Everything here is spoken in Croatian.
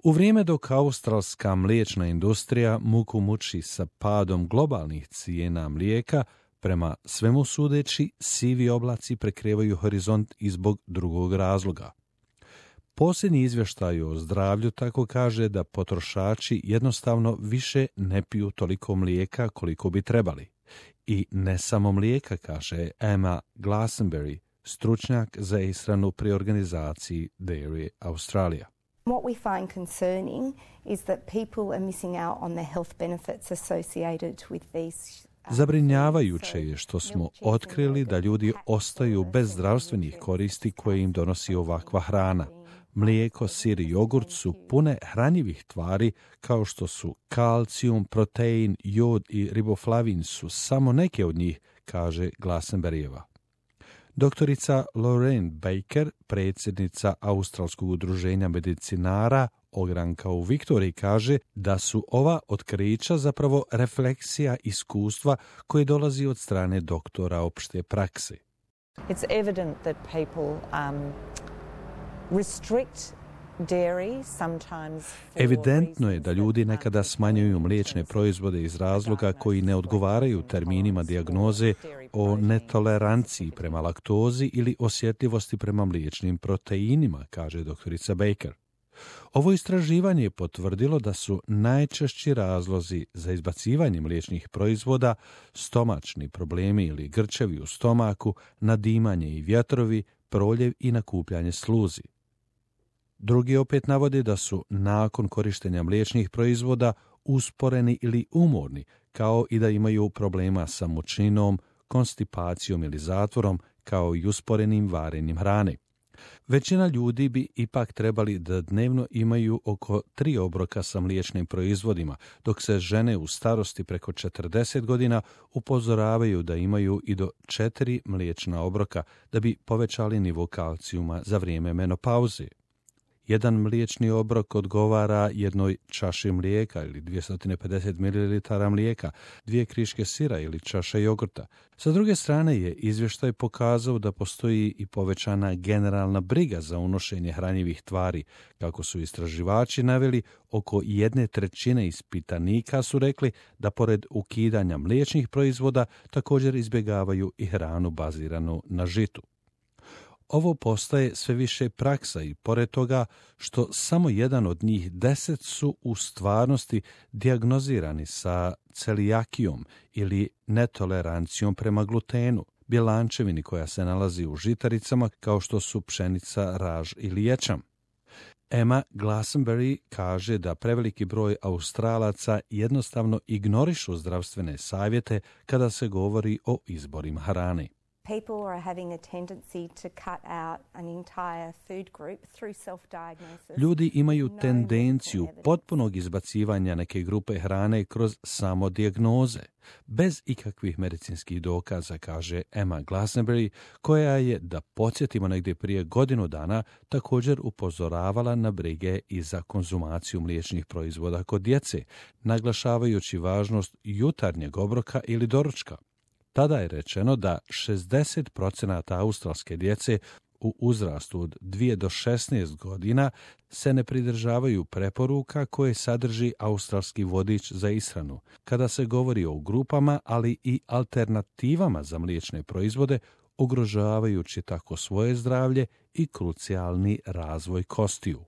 U vrijeme dok australska mliječna industrija muku muči sa padom globalnih cijena mlijeka, prema svemu sudeći, sivi oblaci prekrivaju horizont i zbog drugog razloga. Posljednji izvještaj o zdravlju tako kaže da potrošači jednostavno više ne piju toliko mlijeka koliko bi trebali. I ne samo mlijeka, kaže Emma Glassenbury, stručnjak za ishranu pri organizaciji Dairy Australia. What we find concerning is that people are missing out on the health benefits associated with these. Zabrinjavajuće je što smo otkrili da ljudi ostaju bez zdravstvenih koristi koje im donosi ovakva hrana. Mlijeko, sir i jogurt su pune hranjivih tvari kao što su kalcijum, protein, jod i riboflavin su samo neke od njih, kaže Glassenburyjeva. Doktorica Lorraine Baker, predsjednica Australskog udruženja medicinara ogranka u Viktoriji, kaže da su ova otkrića zapravo refleksija iskustva koje dolazi od strane doktora opšte prakse. It's evident that people restrict dairy sometimes. Evidentno je da ljudi nekada smanjuju mliječne proizvode iz razloga koji ne odgovaraju terminima dijagnoze o netoleranciji prema laktozi ili osjetljivosti prema mliječnim proteinima, kaže doktorica Baker. Ovo istraživanje je potvrdilo da su najčešći razlozi za izbacivanje mliječnih proizvoda stomačni problemi ili grčevi u stomaku, nadimanje i vjetrovi, proljev i nakupljanje sluzi. Drugi opet navode da su nakon korištenja mliječnih proizvoda usporeni ili umorni, kao i da imaju problema sa mučinom, konstipacijom ili zatvorom, kao i usporenim varenjem hrane. Većina ljudi bi ipak trebali da dnevno imaju oko 3 obroka sa mliječnim proizvodima, dok se žene u starosti preko 40 godina upozoravaju da imaju i do 4 mliječna obroka da bi povećali nivo kalcijuma za vrijeme menopauze. Jedan mliječni obrok odgovara jednoj čaši mlijeka ili 250 ml mlijeka, 2 kriške sira ili čaša jogurta. Sa druge strane je izvještaj pokazao da postoji i povećana generalna briga za unošenje hranjivih tvari. Kako su istraživači naveli, oko 1/3 ispitanika su rekli da pored ukidanja mliječnih proizvoda također izbjegavaju i hranu baziranu na žitu. Ovo postaje sve više praksa i pored toga što samo jedan od njih 10 su u stvarnosti dijagnozirani sa celijakijom ili netolerancijom prema glutenu, bjelančevini koja se nalazi u žitaricama kao što su pšenica, raž ili ječam. Emma Glassenbury kaže da preveliki broj Australaca jednostavno ignorišu zdravstvene savjete kada se govori o izborima hrane. People are having a tendency to cut out an entire food group through self-diagnosis. Ljudi imaju tendenciju potpunog izbacivanja neke grupe hrane kroz samo dijagnoze, bez ikakvih medicinskih dokaza, kaže Emma Glassenbury, koja je, da podsjetimo negdje prije godinu dana, također upozoravala na brige i za konzumaciju mliječnih proizvoda kod djece, naglašavajući važnost jutarnjeg obroka ili doručka. Tada je rečeno da 60% australske djece u uzrastu od 2 do 16 godina se ne pridržavaju preporuka koje sadrži australski vodič za ishranu, kada se govori o grupama, ali i alternativama za mliječne proizvode, ugrožavajući tako svoje zdravlje i krucijalni razvoj kostiju.